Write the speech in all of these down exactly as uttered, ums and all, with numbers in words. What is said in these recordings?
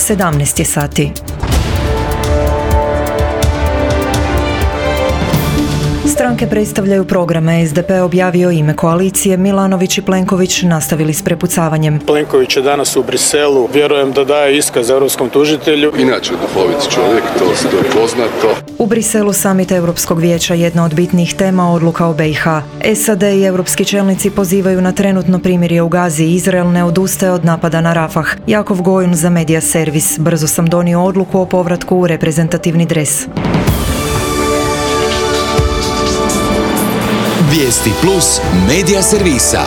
sedamnaest je sati. Stranke predstavljaju programe. es de pe objavio ime koalicije, Milanović i Plenković nastavili s prepucavanjem. Plenković je danas u Briselu, vjerujem da daje iskaz europskom tužitelju. Inače duhovit čovjek, to je poznato. U Briselu samit Europskog vijeća jedna od bitnih tema odluka o be i ha. es a de i europski čelnici pozivaju na trenutno primirje u Gazi. Izrael ne odustaje od napada na Rafah. Jakov Gojun za Media Servis. Brzo sam donio odluku o povratku u reprezentativni dres. Vijesti plus Media Servisa.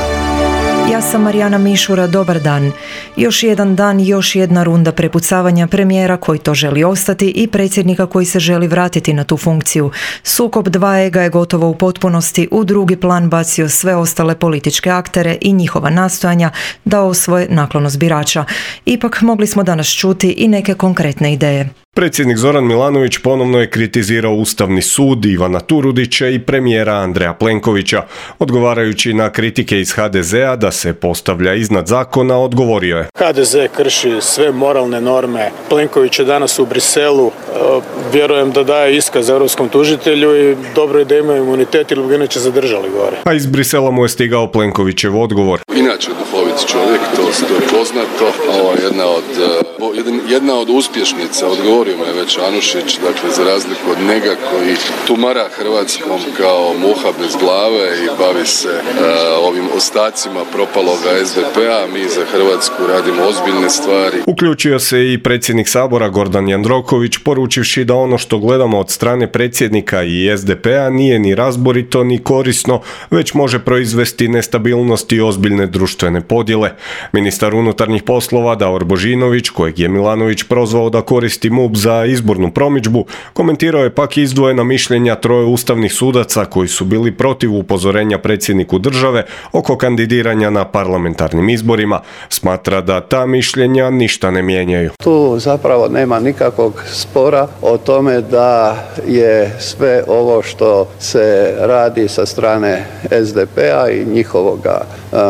Ja sam Marijana Mišura, dobar dan. Još jedan dan, još jedna runda prepucavanja premijera koji to želi ostati i predsjednika koji se želi vratiti na tu funkciju. Sukob dva ega je gotovo u potpunosti u drugi plan bacio sve ostale političke aktere i njihova nastojanja da osvoje naklonost birača. Ipak mogli smo danas čuti i neke konkretne ideje. Predsjednik Zoran Milanović ponovno je kritizirao Ustavni sud, Ivana Turudića i premijera Andreja Plenkovića. Odgovarajući na kritike iz ha de zea da se postavlja iznad zakona, odgovorio je: ha de ze krši sve moralne norme. Plenković je danas u Briselu, vjerujem da daje iskaz europskom tužitelju i dobro je da ima imunitet ili bi ga inače zadržali gore. A iz Brisela mu je stigao Plenkovićev odgovor. Inače duhovit čovjek, to je poznato. Ovo je jedna od, jedna od uspješnica, odgovorio me već Anušić, dakle za razliku od njega koji tumara Hrvatskom kao muha bez glave i bavi se uh, ovim ostacima propaloga es de pe-a, mi za Hrvatsku radimo ozbiljne stvari. Uključio se i predsjednik Sabora Gordan Jandroković, poručivši da ono što gledamo od strane predsjednika i es de pe-a nije ni razborito ni korisno, već može proizvesti nestabilnost i ozbiljne društvene podjele. Ministar unutarnjih poslova Davor Božinović, kojeg je Milanović prozvao da koristi MUP za izbornu promidžbu, komentirao je pak izdvojena mišljenja troje ustavnih sudaca koji su bili protiv upozorenja predsjedniku države oko kandidiranja na parlamentarnim izborima. Smatra da ta mišljenja ništa ne mijenjaju. Tu zapravo nema nikakvog spora o tome da je sve ovo što se radi sa strane es de pe-a i njihovoga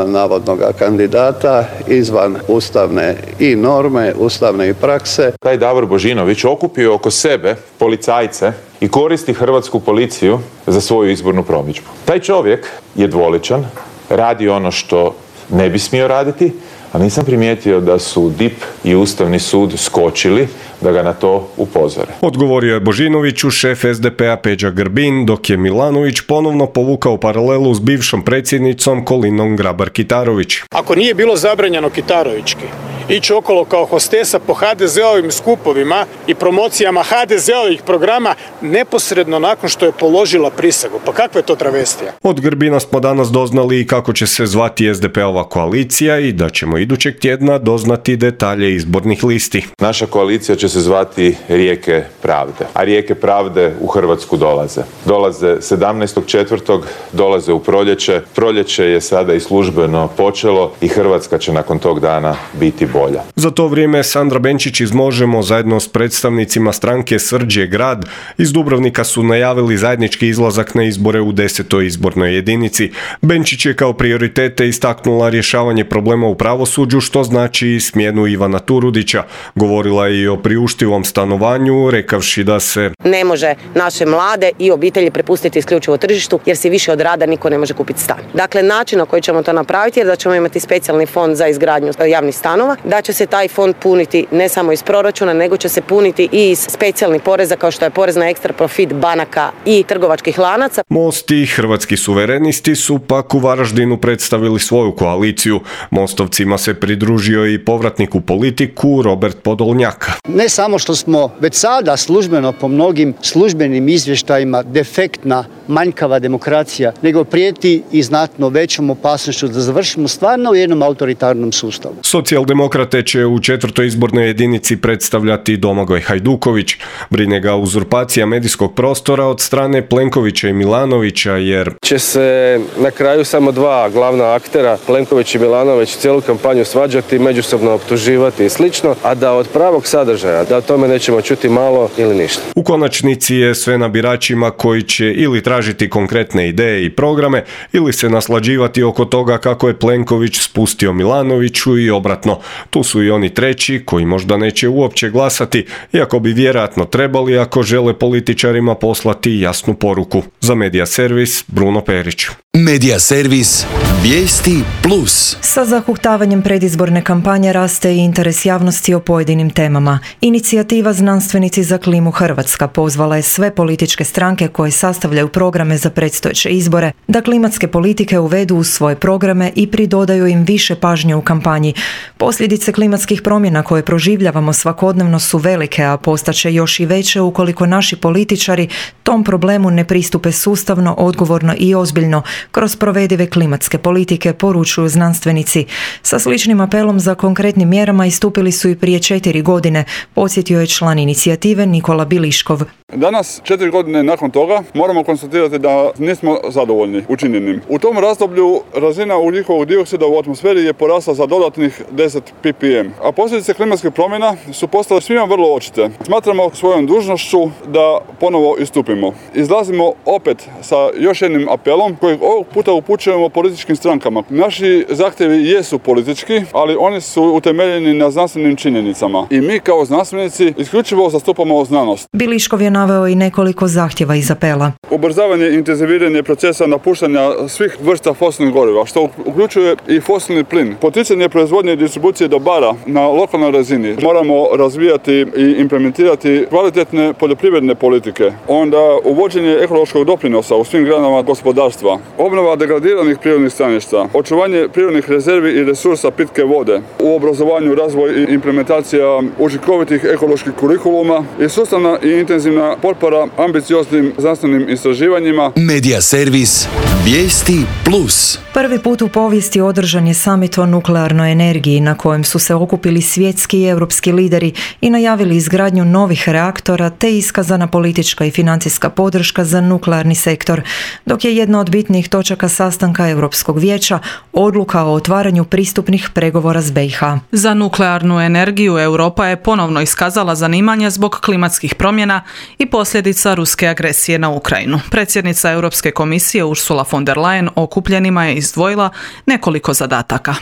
navodnoga kandidata izvan ustavne i norme, ustavne i prakse. Taj Davor Božinović okupio oko sebe policajce i koristi hrvatsku policiju za svoju izbornu promidžbu. Taj čovjek je dvoličan, radi ono što ne bi smio raditi, a nisam primijetio da su D I pe i Ustavni sud skočili da ga na to upozore. Odgovorio je Božinoviću šef es de pe-a Peđa Grbin, dok je Milanović ponovno povukao paralelu s bivšom predsjednicom Kolinom Grabar-Kitarović. Ako nije bilo zabranjeno Kitarovićki ići okolo kao hostesa po ha de zeovim skupovima i promocijama ha de zeovih programa neposredno nakon što je položila prisegu. Pa kakva je to travestija? Od Grbina smo danas doznali i kako će se zvati es de pe-ova koalicija i da ćemo idućeg tjedna doznati detalje izbornih listi. Naša koalicija će se zvati Rijeke pravde, a Rijeke pravde u Hrvatsku dolaze. Dolaze sedamnaestog četvrtog dolaze u proljeće. Proljeće je sada i službeno počelo i Hrvatska će nakon tog dana biti bolja. Za to vrijeme Sandra Benčić iz Možemo zajedno s predstavnicima stranke Srđ je grad iz Dubrovnika su najavili zajednički izlazak na izbore u desetoj izbornoj jedinici. Benčić je kao prioritete istaknula rješavanje problema u pravosuđu, što znači i smjenu Ivana Turudića. Govorila je i o priuštivom stanovanju, rekavši da se ne može naše mlade i obitelji prepustiti isključivo tržištu, jer se više od rada niko ne može kupiti stan. Dakle, način na koji ćemo to napraviti je da ćemo imati specijalni fond za izgradnju javnih stanova, da će se taj fond puniti ne samo iz proračuna, nego će se puniti i iz specijalnih poreza kao što je porez na ekstra profit banaka i trgovačkih lanaca. Most i Hrvatski suverenisti su pak u Varaždinu predstavili svoju koaliciju. Mostovcima se pridružio i povratnik u politiku Robert Podolnjak. Ne samo što smo već sada službeno po mnogim službenim izvještajima defektna, manjkava demokracija, nego prijeti i znatno većom opasnošću da završimo stvarno u jednom autoritarnom sustavu. Socijaldemokrate će u četvrtoj izbornoj jedinici predstavljati Domagoj Hajduković. Brine ga uzurpacija medijskog prostora od strane Plenkovića i Milanovića, jer će se na kraju samo dva glavna aktera, Plenković i Milanović, cijelu kampanju svađati, međusobno optuživati i slično, a da od pravog sadržaja, da o tome nećemo čuti malo ili ništa. U konačnici je sve na biračima koji će ili tražiti konkretne ideje i programe ili se naslađivati oko toga kako je Plenković spustio Milanoviću i obratno. Tu su i oni treći koji možda neće uopće glasati, iako bi vjerojatno trebali ako žele političarima poslati jasnu poruku. Za Medija Servis, Bruno Perić. Medija Servis, vijesti plus. Sa zahuhtavanjem predizborne kampanje raste i interes javnosti o pojedinim temama. Inicijativa Znanstvenici za klimu Hrvatska pozvala je sve političke stranke koje sastavljaju programe za predstojeće izbore da klimatske politike uvedu u svoje programe i pridodaju im više pažnje u kampanji. Posljedice klimatskih promjena koje proživljavamo svakodnevno su velike, a postaće još i veće ukoliko naši političari tom problemu ne pristupe sustavno, odgovorno i ozbiljno kroz provedive klimatske politike, poručuju znanstvenici. Sa sličnim apelom za konkretnim mjerama istupili su i prije četiri godine, podsjetio je član inicijative Nikola Biliškov. Danas, četiri godine nakon toga, moramo konstatirati da nismo zadovoljni učinjenim. U tom razdoblju razina ugljikovog dioksida u atmosferi je porasla za dodatnih deset ppm, a posljedice klimatskih promjena su postale svima vrlo očite. Smatramo svojom dužnošću da ponovo istupimo. Izlazimo opet sa još jednim apelom kojeg ovog puta upućujemo političkim strankama. Naši zahtjevi jesu politički, ali oni su utemeljeni na znanstvenim činjenicama. I mi kao znanstvenici isključivo zastupamo znanost. Biliškov je naveo i nekoliko zahtjeva iz apela. Ubrzavanje i intenziviranje procesa napuštanja svih vrsta fosilnih goriva, što uključuje i fosilni plin. Poticanje proizvodnje i distribucije dobara na lokalnoj razini. Moramo razvijati i implementirati kvalitetne poljoprivredne politike. Onda uvođenje ekološkog doprinosa u svim granama gospodarstva. Obnova degradiranih prirodnih staništa. Očuvanje prirodnih rezervi i resursa pitke vode. U obrazovanju, razvoj i implementacija učinkovitih ekoloških kurikuluma i sustavna i intenzivna potpora ambicioznim znanstvenim istraživanjima. Medija Servis, vijesti plus. Prvi put u povijesti održan je samit o nuklearnoj energiji na kojem su se okupili svjetski i europski lideri i najavili izgradnju novih reaktora te iskazana politička i financijska podrška za nuklearni sektor, dok je jedna od bitnijih točaka sastanka Europskog vijeća odluka o otvaranju pristupnih pregovora s B i H. Za nuklearnu energiju Europa je ponovno iskazala zanimanje zbog klimatskih promjena i posljedica ruske agresije na Ukrajinu. Predsjednica Europske komisije Ursula von der Leyen okupljenima je izdvojila nekoliko zadataka.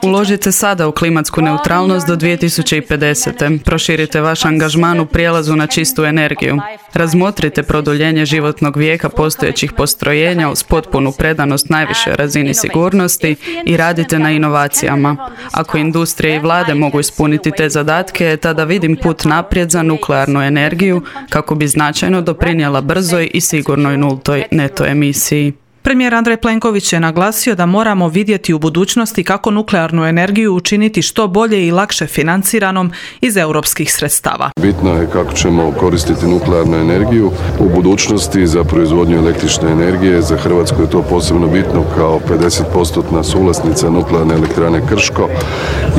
Uložite sada u klimatsku neutralnost do dvije tisuće pedesete. Proširite vaš angažman u prijelazu na čistu energiju. Razmotrite produljenje životnog vijeka postojećih postrojenja uz potpunu predanost najvišoj razini sigurnosti i radite na inovacijama. Ako industrije i vlade mogu ispuniti te zadatke, tada vidim put naprijed za nuklearnu energiju kako bi značajno doprinijela brzoj i sigurnoj nultoj neto emisiji. Premijer Andrej Plenković je naglasio da moramo vidjeti u budućnosti kako nuklearnu energiju učiniti što bolje i lakše financiranom iz europskih sredstava. Bitno je kako ćemo koristiti nuklearnu energiju u budućnosti za proizvodnju električne energije. Za Hrvatsku je to posebno bitno kao pedeset posto suvlasnica nuklearne elektrane Krško,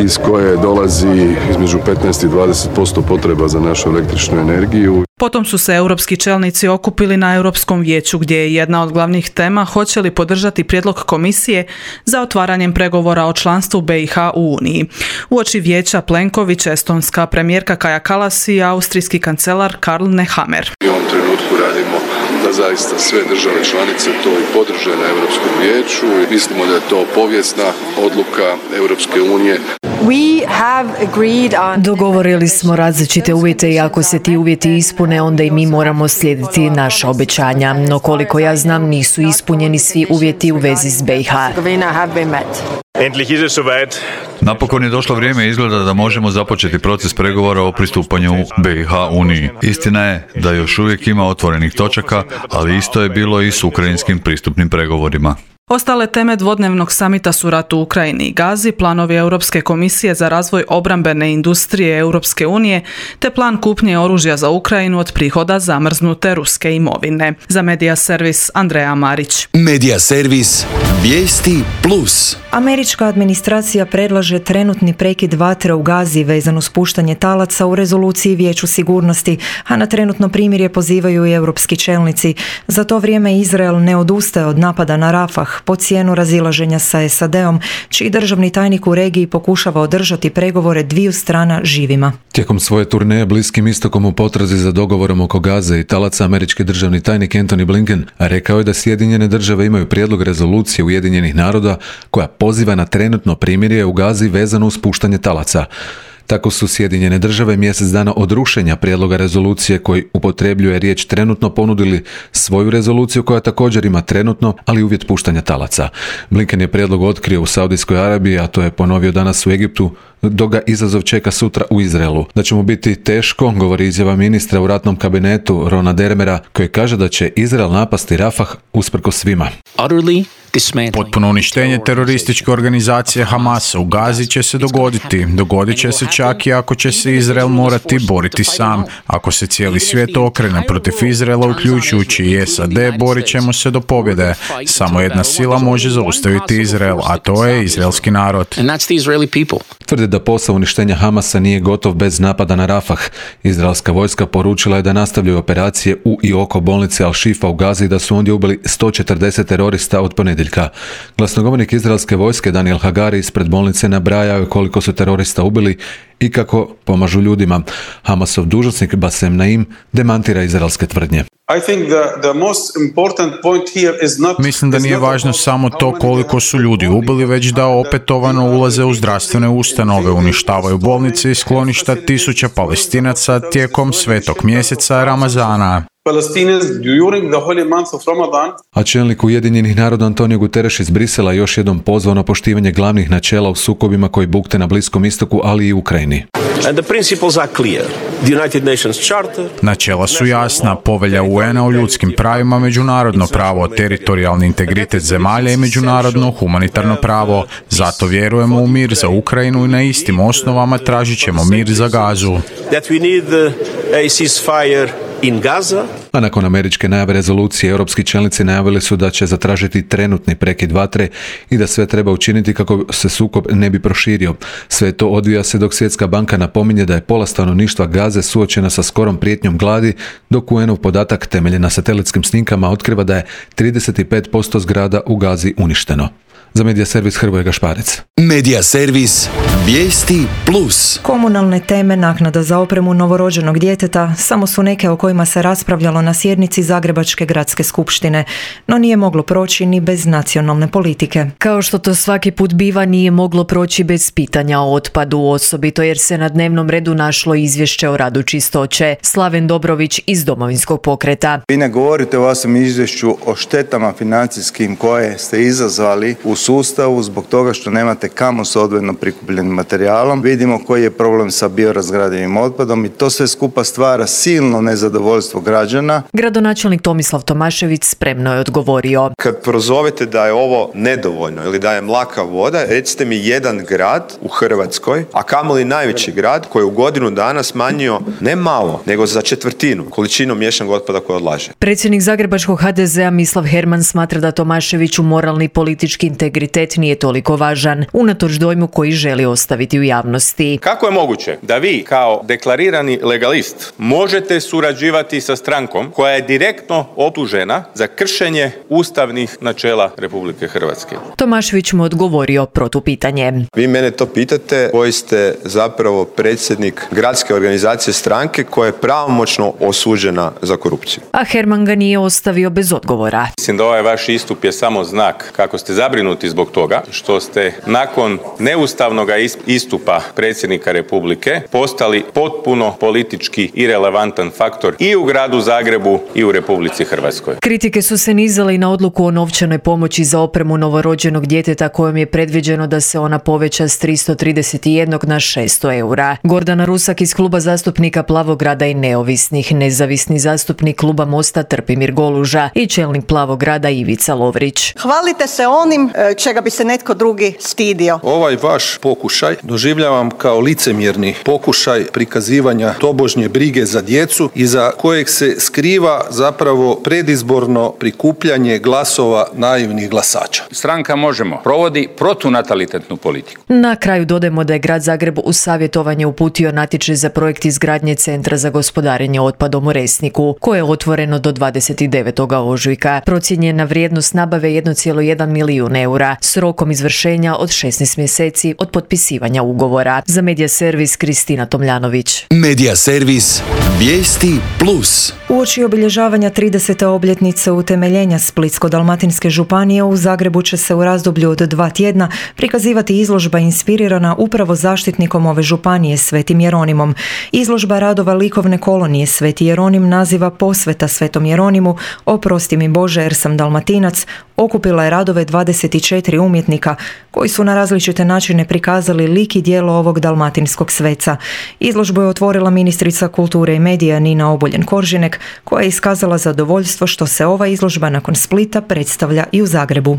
iz koje dolazi između petnaest i dvadeset posto potreba za našu električnu energiju. Potom su se europski čelnici okupili na Europskom vijeću gdje je jedna od glavnih tema hoće li podržati prijedlog komisije za otvaranjem pregovora o članstvu B i H u Uniji. Uoči vijeća Plenković, estonska premijerka Kaja Kallas i austrijski kancelar Karl Nehammer. U ovom trenutku radimo da zaista sve države članice to i podrže na Europskom vijeću i mislimo da je to povijesna odluka Europske unije. Dogovorili smo različite uvjete i ako se ti uvjeti ispune, onda i mi moramo slijediti naša obećanja. No koliko ja znam, nisu ispunjeni svi uvjeti u vezi s B i H. Napokon je došlo vrijeme izgleda da možemo započeti proces pregovora o pristupanju B i H Uniji. Istina je da još uvijek ima otvorenih točaka, ali isto je bilo i s ukrajinskim pristupnim pregovorima. Ostale teme dvodnevnog samita su rat u Ukrajini i Gazi, planovi Europske komisije za razvoj obrambene industrije Europske unije, te plan kupnje oružja za Ukrajinu od prihoda zamrznute ruske imovine. Za Medija Servis, Andreja Marić. Medija Servis, vijesti plus. Američka administracija predlaže trenutni prekid vatre u Gazi vezan uz puštanje talaca u rezoluciji Vijeću sigurnosti, a na trenutno primirje pozivaju i europski čelnici. Za to vrijeme Izrael ne odustaje od napada na Rafah, po cijenu razilaženja sa S A D-om, čiji državni tajnik u regiji pokušava održati pregovore dviju strana živima. Tijekom svoje turneje Bliskim istokom u potrazi za dogovorom oko Gaze i talaca, američki državni tajnik Antony Blinken rekao je da Sjedinjene države imaju prijedlog rezolucije Ujedinjenih naroda koja poziva na trenutno primirje u Gazi vezano uz puštanje talaca. Tako su Sjedinjene države mjesec dana od rušenja prijedloga rezolucije koji upotrebljuje riječ trenutno ponudili svoju rezoluciju koja također ima trenutno, ali uvjet puštanja talaca. Blinken je prijedlog otkrio u Saudijskoj Arabiji, a to je ponovio danas u Egiptu, dok ga izazov čeka sutra u Izraelu. Da će mu biti teško, govori izjava ministra u ratnom kabinetu Rona Dermera, koji kaže da će Izrael napasti Rafah usprkos svima. Potpuno uništenje terorističke organizacije Hamasa u Gazi će se dogoditi. Dogodit će se čak i ako će se Izrael morati boriti sam. Ako se cijeli svijet okrene protiv Izraela, uključujući i S A D, borit ćemo se do pobjede. Samo jedna sila može zaustaviti Izrael, a to je izraelski narod. Tvrde da posao uništenja Hamasa nije gotov bez napada na Rafah. Izraelska vojska poručila je da nastavljaju operacije u i oko bolnice Al-Shifa u Gazi i da su ondje ubili sto četrdeset terorista od ponedjeljka. Glasnogovornik izraelske vojske Daniel Hagari ispred bolnice nabrajao je koliko su terorista ubili i kako pomažu ljudima. Hamasov dužnosnik Bassem Naim demantira izraelske tvrdnje. Mislim da nije važno samo to koliko su ljudi ubili, već da opetovano ulaze u zdravstvene ustanove, uništavaju bolnice i skloništa tisuća Palestinaca tijekom svetog mjeseca Ramazana. A čelnik Ujedinjenih naroda Antonio Guterres iz Brisela još jednom pozvao na poštivanje glavnih načela u sukobima koji bukte na Bliskom istoku, ali i Ukrajini. Načela su jasna, povelja U N-a o ljudskim pravima, međunarodno pravo, teritorijalni integritet zemalja i međunarodno humanitarno pravo. Zato vjerujemo u mir za Ukrajinu i na istim osnovama tražit ćemo mir za Gazu. In Gaza. A nakon američke najave rezolucije, europski čelnici najavili su da će zatražiti trenutni prekid vatre i da sve treba učiniti kako se sukob ne bi proširio. Sve to odvija se dok Svjetska banka napominje da je pola stanovništva Gaze suočena sa skorom prijetnjom gladi, dok U N-ov podatak temeljen na satelitskim snimkama otkriva da je trideset pet posto zgrada u Gazi uništeno. Za Medija servis Hrvoje Gašparec. Medija servis Vijesti plus. Komunalne teme, naknada za opremu novorođenog djeteta samo su neke o kojima se raspravljalo na sjednici Zagrebačke gradske skupštine, no nije moglo proći ni bez nacionalne politike. Kao što to svaki put biva, nije moglo proći bez pitanja o otpadu, osobito jer se na dnevnom redu našlo izvješće o radu čistoće. Slaven Dobrović iz Domovinskog pokreta. Vi ne govorite u vašem izvješću o štetama financijskim koje ste izazvali u sustavu zbog toga što nemate kamo s odvojeno prikupljenim materijalom. Vidimo koji je problem sa biorazgradivim otpadom i to sve skupa stvara silno nezadovoljstvo građana. Gradonačelnik Tomislav Tomašević spremno je odgovorio. Kad prozovete da je ovo nedovoljno ili da je mlaka voda, recite mi jedan grad u Hrvatskoj, a kamoli najveći grad koji je u godinu dana smanjio ne malo, nego za četvrtinu količinu miješanog otpada koje odlaže. Predsjednik Zagrebačkog H D Z-a Mislav Herman smatra da Tomaševiću moralni i politički integritet nije toliko važan, unatoč dojmu koji želi ostaviti u javnosti. Kako je moguće da vi kao deklarirani legalist možete surađivati sa strankom koja je direktno optužena za kršenje ustavnih načela Republike Hrvatske? Tomašević mu odgovorio protupitanje. Vi mene to pitate koji ste zapravo predsjednik gradske organizacije stranke koja je pravomoćno osuđena za korupciju. A Herman ga nije ostavio bez odgovora. Mislim da ovaj vaš istup je samo znak kako ste zabrinuti zbog toga što ste nakon neustavnog istupa predsjednika Republike postali potpuno politički irelevantan faktor i u gradu Zagrebu i u Republici Hrvatskoj. Kritike su se nizale i na odluku o novčanoj pomoći za opremu novorođenog djeteta kojom je predviđeno da se ona poveća s tristo trideset jedan na šesto eura. Gordana Rusak iz kluba zastupnika Plavograda i neovisnih, nezavisni zastupnik kluba Mosta Trpimir Goluža i čelnik Plavograda Ivica Lovrić. Hvalite se onim čega bi se netko drugi stidio. Ovaj vaš pokušaj doživljavam kao licemjerni pokušaj prikazivanja tobožnje brige za djecu iza kojeg se skriva zapravo predizborno prikupljanje glasova naivnih glasača. Stranka Možemo provodi protunatalitetnu politiku. Na kraju dodajemo da je grad Zagreb u savjetovanje uputio natječaj za projekt izgradnje Centra za gospodarenje otpadom u Resniku, koje je otvoreno do dvadeset devetog ožujka. Procijenjena vrijednost nabave jedan zarez jedan milijun eura s rokom izvršenja od šesnaest mjeseci od potpisivanja ugovora. Za Medija servis Kristina Tomljanović. Medija servis Vijesti Plus. Uoči obilježavanja tridesete obljetnice utemeljenja Splitsko-dalmatinske županije u Zagrebu će se u razdoblju od dva tjedna prikazivati izložba inspirirana upravo zaštitnikom ove županije Svetim Jeronimom. Izložba radova likovne kolonije Sveti Jeronim naziva Posveta Svetom Jeronimu, Oprosti mi Bože jer sam Dalmatinac, okupila je radove dvadeset četiri umjetnika koji su na različite načine prikazali lik i djelo ovog dalmatinskog sveca. Izložbu je otvorila ministrica kulture i medija Nina Obuljen-Koržinek, koja je iskazala zadovoljstvo što se ova izložba nakon Splita predstavlja i u Zagrebu.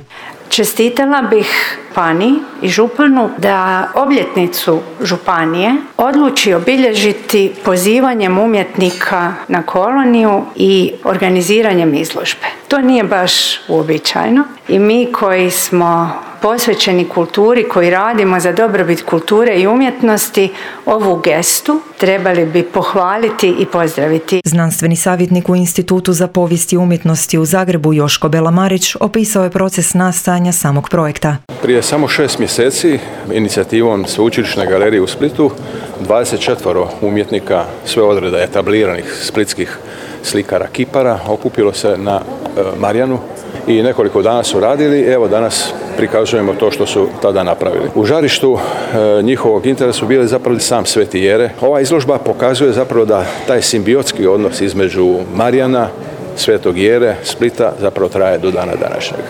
Čestitala bih Pani i županu da obljetnicu županije odluči obilježiti pozivanjem umjetnika na koloniju i organiziranjem izložbe. To nije baš uobičajeno i mi koji smo posvećeni kulturi, koji radimo za dobrobit kulture i umjetnosti, ovu gestu trebali bi pohvaliti i pozdraviti. Znanstveni savjetnik u Institutu za povijest i umjetnosti u Zagrebu Joško Belamarić opisao je proces nastajanja samog projekta. Prije samo šest mjeseci inicijativom Sveučilišne galerije u Splitu dvadeset četiri umjetnika sve odreda etabliranih splitskih slikara kipara okupilo se na e, Marjanu i nekoliko dana su radili. Evo danas prikazujemo to što su tada napravili. U žarištu e, njihovog interesa su bili zapravo sam Sveti Jere. Ova izložba pokazuje zapravo da taj simbiotski odnos između Marjana, Svetog Jere, Splita zapravo traje do dana današnjeg.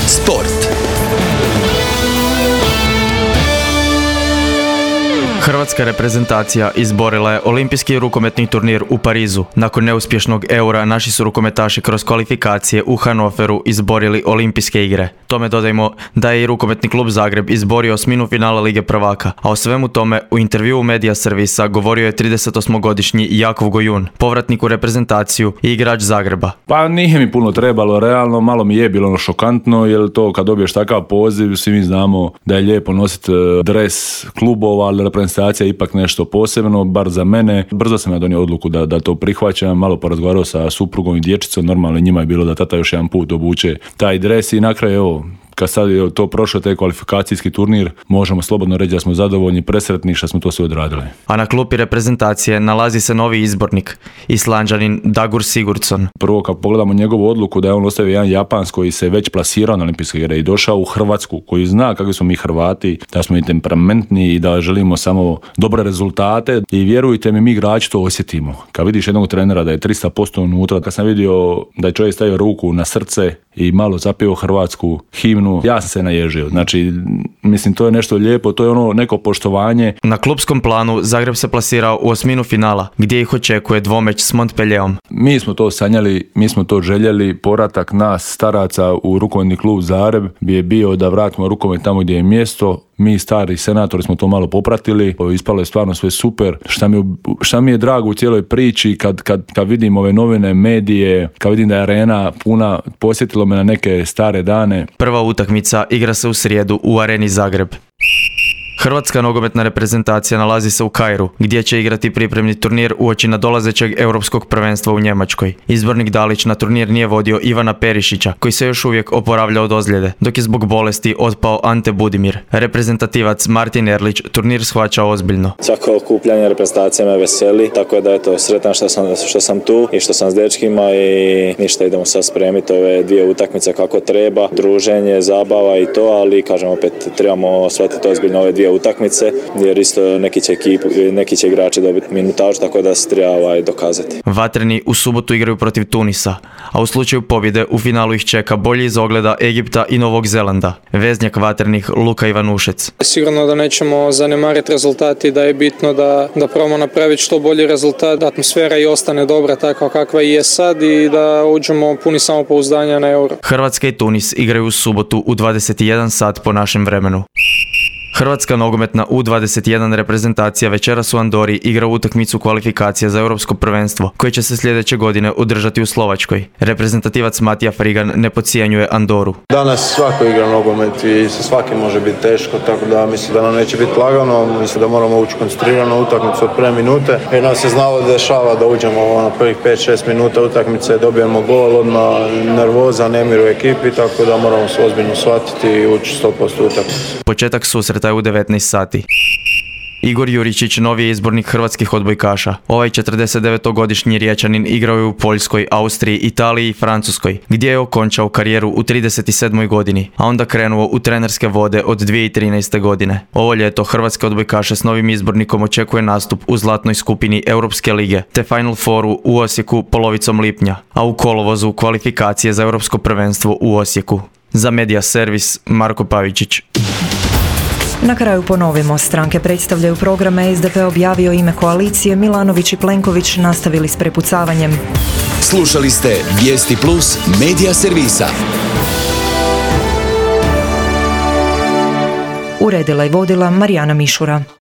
Sport. Hrvatska reprezentacija izborila je olimpijski rukometni turnir u Parizu. Nakon neuspješnog eura naši su rukometaši kroz kvalifikacije u Hanoveru izborili olimpijske igre. Tome dodajmo da je i rukometni klub Zagreb izborio osminu finala Lige prvaka, a o svemu tome u intervjuu Medija servisa govorio je tridesetosmogodišnji Jakov Gojun, povratnik u reprezentaciju i igrač Zagreba. Pa nije mi puno trebalo, realno malo mi je bilo ono šokantno, jer to kad dobiješ takav poziv, svi mi znamo da je lijepo nositi dres klubova, ali reprezentacija je ipak nešto posebno, bar za mene. Brzo sam ja donio odluku da, da to prihvaćam, malo porazgovarao sa suprugom i dječicom, normalno njima je bilo da tata još jedan put obuče taj dres i na kraju evo, kad sad je to prošlo, taj kvalifikacijski turnir, možemo slobodno reći da smo zadovoljni, presretni što smo to sve odradili. A na klupi reprezentacije nalazi se novi izbornik, Islanđanin Dagur Sigurdsson. Prvo kad pogledamo njegovu odluku da je on ostavio jedan Japans koji se već plasirao na olimpijske igre i došao u Hrvatsku, koji zna kakvi smo mi Hrvati, da smo i temperamentni i da želimo samo dobre rezultate i vjerujte mi, mi igrači to osjetimo. Kad vidiš jednog trenera da je tristo posto unutra, kad sam vidio da je čovjek stavio ruku na srce i malo zapio hrvatsku himnu, ja sam se naježio. Znači, mislim, to je nešto lijepo, to je ono neko poštovanje. Na klupskom planu Zagreb se plasirao u osminu finala, gdje ih očekuje dvomeć s Montpellierom. Mi smo to sanjali, mi smo to željeli, povratak nas staraca u rukometni klub Zagreb bi je bio da vratimo rukomet tamo gdje je mjesto. Mi stari senatori smo to malo popratili, ispalo je stvarno sve super. Šta mi, šta mi je drago u cijeloj priči kad, kad, kad vidim ove novine, medije, kad vidim da je arena puna, posjetilo me na neke stare dane. Prva utakmica igra se u srijedu u areni Zagreb. Hrvatska nogometna reprezentacija nalazi se u Kairu, gdje će igrati pripremni turnir uoči nadolazećeg europskog prvenstva u Njemačkoj. Izbornik Dalić na turnir nije vodio Ivana Perišića, koji se još uvijek oporavlja od ozljede, dok je zbog bolesti otpao Ante Budimir. Reprezentativac Martin Erlić turnir shvaća ozbiljno. Svako okupljanje reprezentacije me veseli, tako da eto, sretan što sam, što sam tu i što sam s dečkima i ništa, idemo sad spremiti ove dvije utakmice kako treba, druženje, zabava i to, ali kažem opet trebamo shvatiti ozbiljno ove dvije prije utakmice, jer isto neki će, ekip, neki će igrači dobiti minutažu, tako da se treba ovaj, dokazati. Vatreni u subotu igraju protiv Tunisa, a u slučaju pobjede u finalu ih čeka bolji izogleda Egipta i Novog Zelanda. Veznjak vatrenih Luka Ivanušec. Sigurno da nećemo zanemariti rezultati, da je bitno da, da probamo napraviti što bolji rezultat, da atmosfera i ostane dobra takva kakva i je sad i da uđemo puni samopouzdanja na Euro. Hrvatska i Tunis igraju u subotu u dvadeset jedan sat po našem vremenu. Hrvatska nogometna U dvadeset jedan reprezentacija večeras u Andori igra utakmicu kvalifikacija za europsko prvenstvo, koje će se sljedeće godine održati u Slovačkoj. Reprezentativac Matija Frigan ne podcijenjuje Andoru. Danas svako igra nogomet i sa svakim može biti teško, tako da mislim da nam neće biti lagano, mislim da moramo ući koncentrirano utakmicu od prve minute. Jer nam se znalo dešava da uđemo na prvih pet šest minuta utakmice, dobijemo gol, odmah nervoza, nemir u ekipi, tako da moramo se ozbiljno shvatiti i ući sto posto utakmicu. Početak susreta je u devetnaest sati. Igor Juričić, novi je izbornik hrvatskih odbojkaša. Ovaj četrdesetdevetogodišnji Riječanin igrao je u Poljskoj, Austriji, Italiji i Francuskoj, gdje je okončao karijeru u trideset sedmoj godini, a onda krenuo u trenerske vode od dvije tisuće trinaeste. godine. Ovo ljeto hrvatske odbojkaše s novim izbornikom očekuje nastup u zlatnoj skupini Europske lige, te Final Fouru u Osijeku polovicom lipnja, a u kolovozu kvalifikacije za europsko prvenstvo u Osijeku. Za Media Servis, Marko Pavičić. Na kraju ponovimo, stranke predstavljaju programe, S D P objavio ime koalicije, Milanović i Plenković nastavili s prepucavanjem. Slušali ste Vijesti Plus Media Servisa. Uredila i vodila Marijana Mišura.